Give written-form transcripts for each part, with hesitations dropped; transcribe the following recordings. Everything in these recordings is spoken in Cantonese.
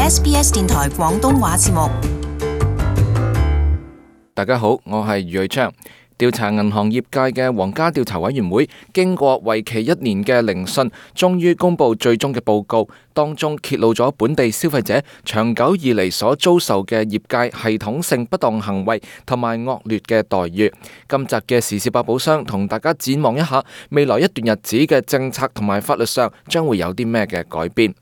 SBS 電台廣東話節目。大家好，我係余瑞昌。調查銀行業界嘅皇家調查委員會經過為期1年嘅聆訊，終於公布最終嘅報告，當中揭露咗本地消費者長久以嚟所遭受嘅業界系統性不當行為同埋惡劣嘅待遇。今集嘅時事百寶箱同大家展望一下未來一段日子嘅政策同埋法律上將會有啲咩嘅改變。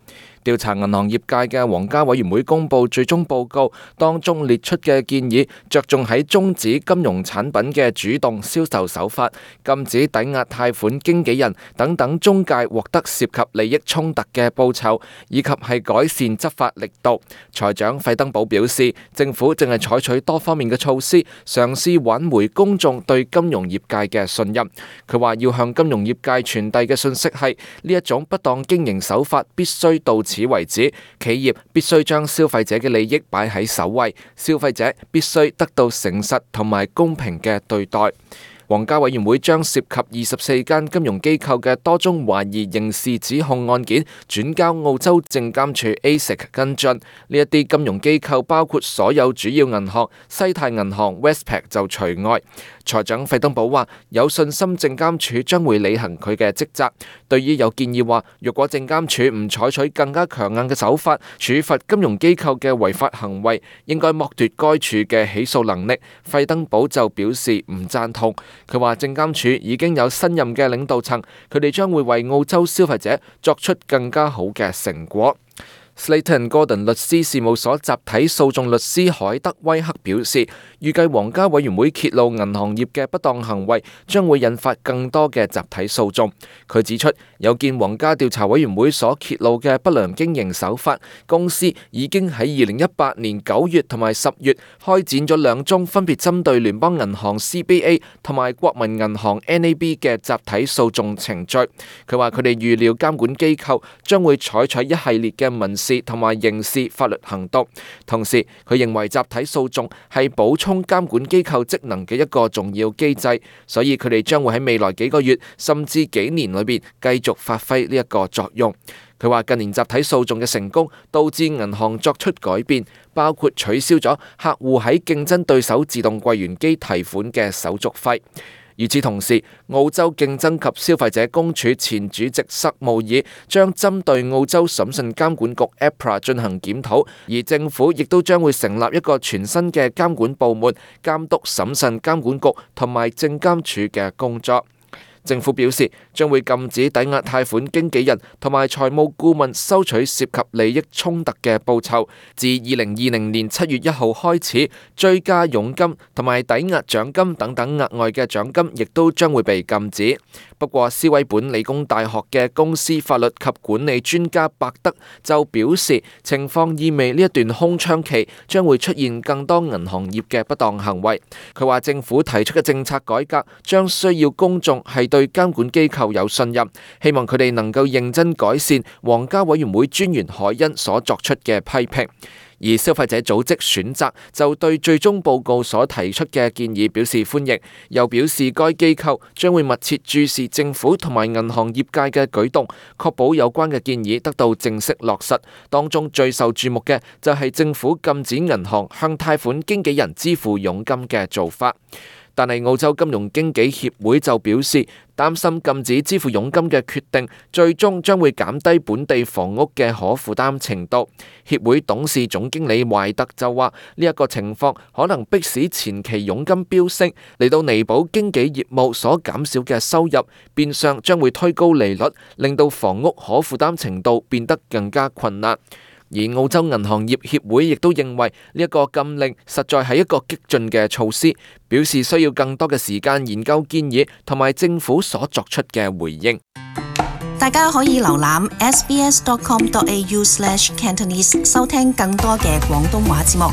調查銀行業界嘅皇家委員會公布最終報告，當中列出嘅建議着重喺終止金融產品嘅主動銷售手法，禁止抵押貸款經紀人等等中介獲得涉及利益衝突嘅報酬，以及係改善執法力度。財長費登堡表示，政府正係採取多方面嘅措施，嘗試挽回公眾對金融業界嘅信任。佢話要向金融業界傳遞嘅信息係，呢一種不當經營手法必須到此為止，企業必須將消費者嘅利益擺喺首位，消費者必須得到誠實同埋公平嘅對待。皇家委員會將涉及24間金融機構嘅多宗懷疑刑事指控案件轉交澳洲證監處 ASIC 跟進。呢一啲金融機構包括所有主要銀行，西太銀行 Westpac 就除外。財長費登堡話有信心證監處將會履行佢嘅職責。對於有建議話，若果證監處唔採取更加強硬嘅手法處罰金融機構嘅違法行為，應該剝奪該處嘅起訴能力，費登堡就表示唔贊同。佢話證監處已經有新任嘅領導層，佢哋將會為澳洲消費者作出更加好嘅成果。Slater & Gordon 律師事務所集體訴訟律師海德威克表示，預計皇家委員會揭露銀行業嘅不當行為將會引發更多嘅集體訴訟。佢指出，有見皇家調查委員會所揭露嘅不良經營手法，公司已經喺2018年9月同埋10月開展咗2宗分別針對聯邦銀行 CBA 同埋國民銀行 NAB 嘅集體訴訟程序。佢話佢哋預料監管機構將會採取一系列嘅民事同埋刑事法律行動，同時佢認為集體訴訟係補充監管機構職能嘅一個重要機制，所以佢哋將會喺未來幾個月甚至幾年裏邊繼續發揮呢一個作用。佢話近年集體訴訟嘅成功導致銀行作出改變，包括取消咗客戶喺競爭對手自動櫃員機提款嘅手續費。與此同時，澳洲競爭及消費者公署前主席塞姆爾將針對澳洲審訊監管局 APRA 進行檢討，而政府亦都將會成立一個全新嘅監管部門，監督審訊監管局同埋證監署嘅工作。政府表示將會禁止抵押貸款經紀人同埋財務顧問收取涉及利益衝突嘅報酬。自2020年7月1號開始，追加佣金同埋抵押獎金等等額外嘅獎金亦都將會被禁止。不過，斯威本理工大學嘅公司法律及管理專家伯德就表示，情況意味呢一段空窗期將會出現更多銀行業嘅不當行為。佢話政府提出嘅政策改革將需要公眾係對監管機構有信任，希望佢哋能夠認真改善皇家委員會專員海恩所作出嘅批評。而消費者組織選擇就對最終報告所提出嘅建議表示歡迎，又表示該機構將會密切注視政府同埋銀行業界嘅舉動，確保有關嘅建議得到正式落實。當中最受注目嘅就係政府禁止銀行向貸款經紀人支付佣金嘅做法。但係澳洲金融經紀協會就表示，擔心禁止支付佣金嘅決定最終將會減低本地房屋嘅可負擔程度。協會董事總經理懷特就話，呢一個情況可能迫使前期佣金飆升，嚟到彌補經紀業務所減少嘅收入，變相將會推高利率，令到房屋可負擔程度變得更加困難。而澳洲銀行業協會亦都認為呢一個禁令實在係一個激進嘅措施，表示需要更多嘅時間研究建議同埋政府所作出嘅回應。大家可以瀏覽 sbs.com.au/cantonese 收聽更多嘅廣東話節目。